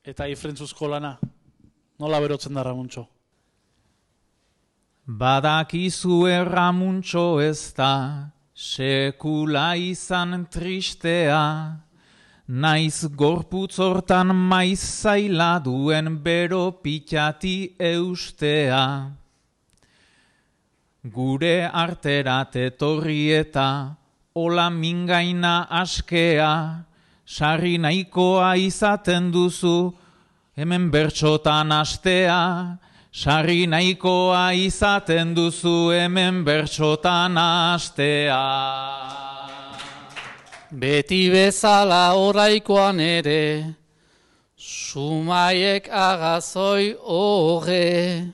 eta ifrentzuzko lana. Nola berotzen da Ramuntxo? Badakizu Ramuntxo ez da, sekula izan tristea, naiz gorputz hortan maiz zaila duen bero pitati eustea. Gure arterat etorri eta ola mingaina askea, sarri nahikoa izaten duzu, hemen bertxotan astea. Sarri nahikoa izaten duzu, hemen bertxotan astea. Beti bezala oraikoan ere, sumaiek agazoi horre.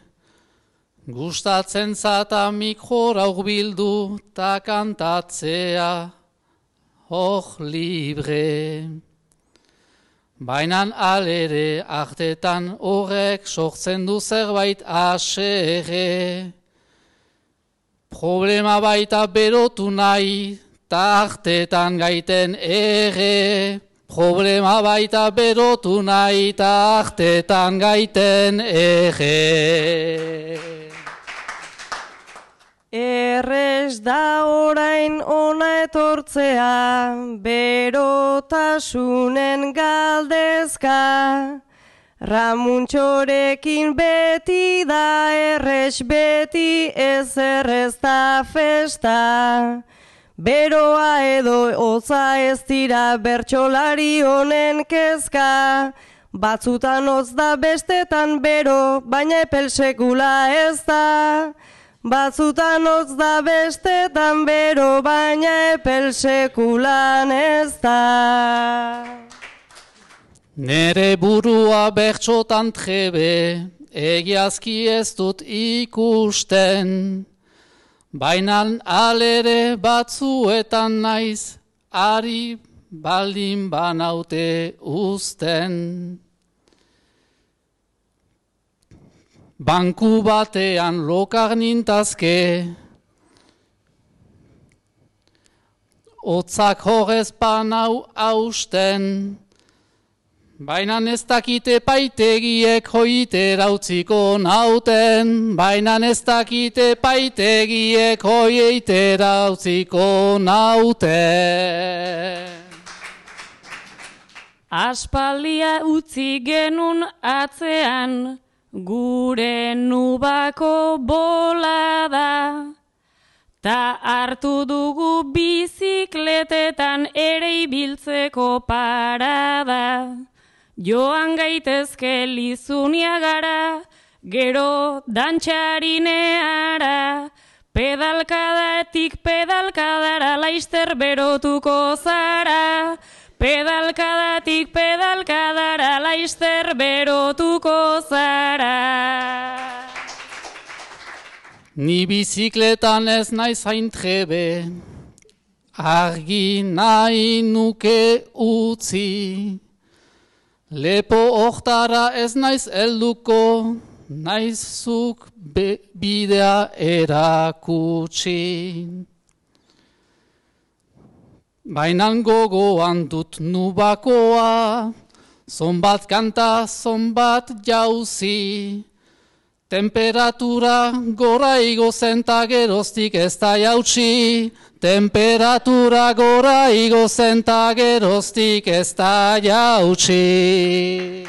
Gustatzen zata mikrora bildu ta kantatzea, libre. Bainan alere artetan horrek sortzen du zerbait asere. Problema baita berotu nahi, ta artetan gaiten ere. Problema baita berotu nahi, ta artetan gaiten ere. Errez da orain ona etortzea, berotasunen galdezka. Ramuntxorekin beti da errez, beti ez errez da festa. Beroa edo hotza ez dira bertsolari honen kezka. Batzutan hotz da bestetan bero, baina epel sekula ez da. Batzutan hotz da bestetan bero, baina epel sekulan ez da. Nere burua bertxotan trebe, egiazki ez dut ikusten. Bainan alere batzuetan naiz, ari baldin banaute uzten. Banku batean lokar nintazke, hotzak horrez panau hausten, baina ez dakite paitegiek hoitera utziko nauten, baina ez dakite paitegiek hoitera utziko nauten. Aspaldia utzi genun atzean, gure nubako bolada, ta hartu dugu bizikletetan ere ibiltzeko parada. Joan gaitezke Lizuniagara, gero dantxarineara, pedalkadatik pedalkadara laizter berotuko zara. Pedalkadatik pedalkadara laizter berotuko zara. Ni bizikletan ez naiz hain trebe, argi nahi nuke utzi. Lepo hortara ez naiz helduko, naizuk bidea erakutsi. Bainan gogoan dut nubakoa, zonbat kanta, zonbat jauzi. Temperatura gora igo zen ta geroztik ez da jautsi. Temperatura gora igo zen ta geroztik ez da jautsi.